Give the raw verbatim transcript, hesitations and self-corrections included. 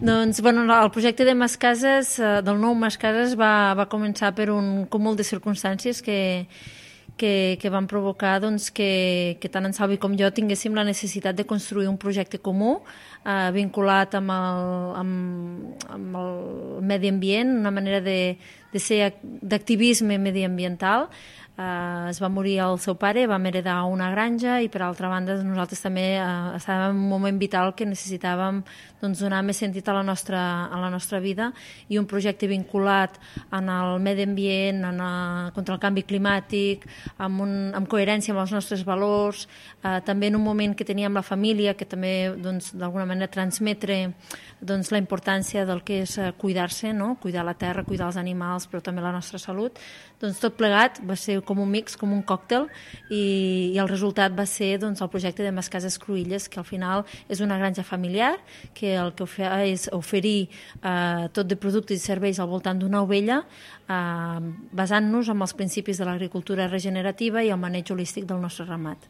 Doncs, bueno, el projecte de Mascases, eh, del nou Mascases, va, va començar per un cúmul de circumstàncies que, que, que van provocar doncs, que, que tant en Salvi com jo tinguéssim la necessitat de construir un projecte comú eh, vinculat amb el, amb, amb el medi ambient, una manera de, de ser d'activisme mediambiental. Uh, es va morir el seu pare, vam heredar una granja i per altra banda nosaltres també uh, estàvem en un moment vital que necessitàvem doncs, donar més sentit a la, nostra, a la nostra vida i un projecte vinculat en el medi ambient, en a, contra el canvi climàtic, amb, un, amb coherència amb els nostres valors, uh, també en un moment que teníem la família, que també doncs, d'alguna manera transmetre doncs, la importància del que és uh, cuidar-se, no? Cuidar la terra, cuidar els animals, però també la nostra salut. Doncs tot plegat va ser com un mix, com un còctel, i, i el resultat va ser doncs, el projecte de Mascases Cruïlles, que al final és una granja familiar, que el que fa és oferir eh, tot de productes i serveis al voltant d'una ovella, eh, basant-nos en els principis de l'agricultura regenerativa i el maneig holístic del nostre ramat.